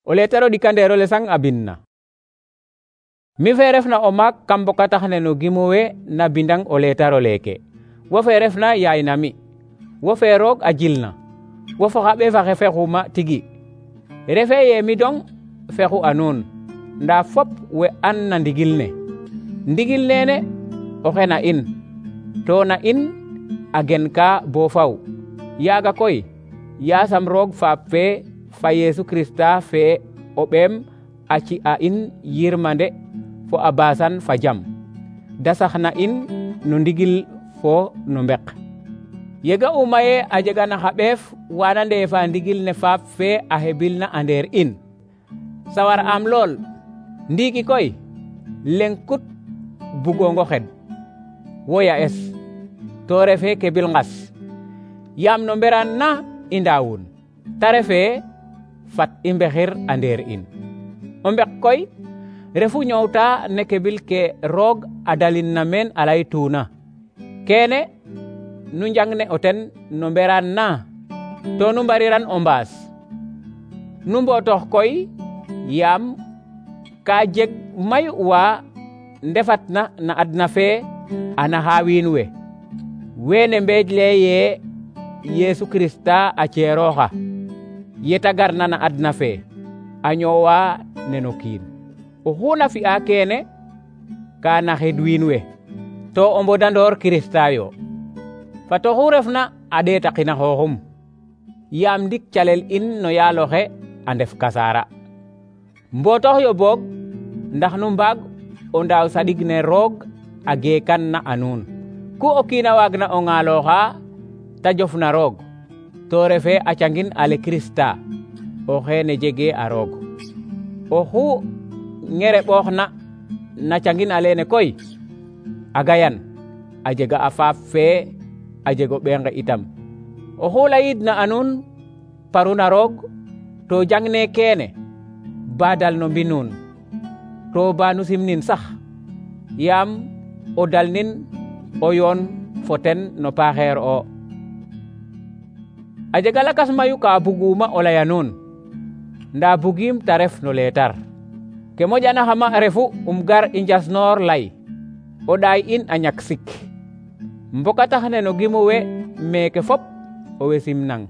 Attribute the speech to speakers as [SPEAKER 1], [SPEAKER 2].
[SPEAKER 1] O letaro ɗikandeero le sang a bindna. Mi fe refna o maak kam mbokatax ne no gimo we na bindang o letaro leke. Wo fe refna yaay na mi. Wo fe roog a jilna. Wo fo xa ɓeefa xe fexuma tigi. Refe ye mi dong fexu a nuun, nda fop we an na ndigil ne. Ndigil nene oxe na in, to na in a gen ka bo faw. Yaaga koy yaasam roog faap fe fa Yesu Krista fe o ɓeem a ci a in yirmande fo a basan fa jam, da sax na in no ndigil fo no mbek. Yega uma ye a jega na xa ɓeef wana ndeefa ndigil ne faap fe a hebil na a ndeer in. Sawar am lool, ndiiki koy leŋ kut bugongo xed wo ya es, to refe kebil ngas. Yaam no mberaan na i ndaawun, ta refe fat i mbexir a ndeer in. O mbek koy refu ñoowta ne kebil ke roog a dalin na meen a laytuna. Kene nu njang ne o ten no mberaan na, to nu mbariran o mbaas. Nu mbootox koy yaam ka jeg mayu wa ndefatna na adna fe a naxa wiin we. Wene mbeej leye ye Yesu Krista a ceerooxa, yeta garna na adna fe a ñoowa neno kiin. Oxu na fi'a kene ka naxid wiin we, to o mbodandoor Krista yo. Fat oxu refna a ɗeetaqina xooxum, yaam ndik calel in no yaaloxe a ndef kasaara. Mbootox yo boog ndax nu mbaag o ndaaw saɗig ne roog a geekan na a nuun. Ku o kiin a waagna o ŋaalooxa ta jofna roog, to refe a cangin ale Krista, o xeene jegee a roog. Oxu ŋereɓooxna na cangin alene koy a gayan, a jega a faap fe a jego ɓeenga itam. Oxu layidna a nuun paruna roog, to jangne kene ba dal no mbinuun, to ba nu simnin sax, yaam o dalnin o yoon fo ten no paaxeer o. A jega lakas mayu ka buguma o laya nuun, nda bugiim ta ref no leetar. Ke moƴanaxama refu gar i njasnoor lay, o ɗaay in a ñak sik. Mbokatax ne no gimo we meeke fop o we simnang.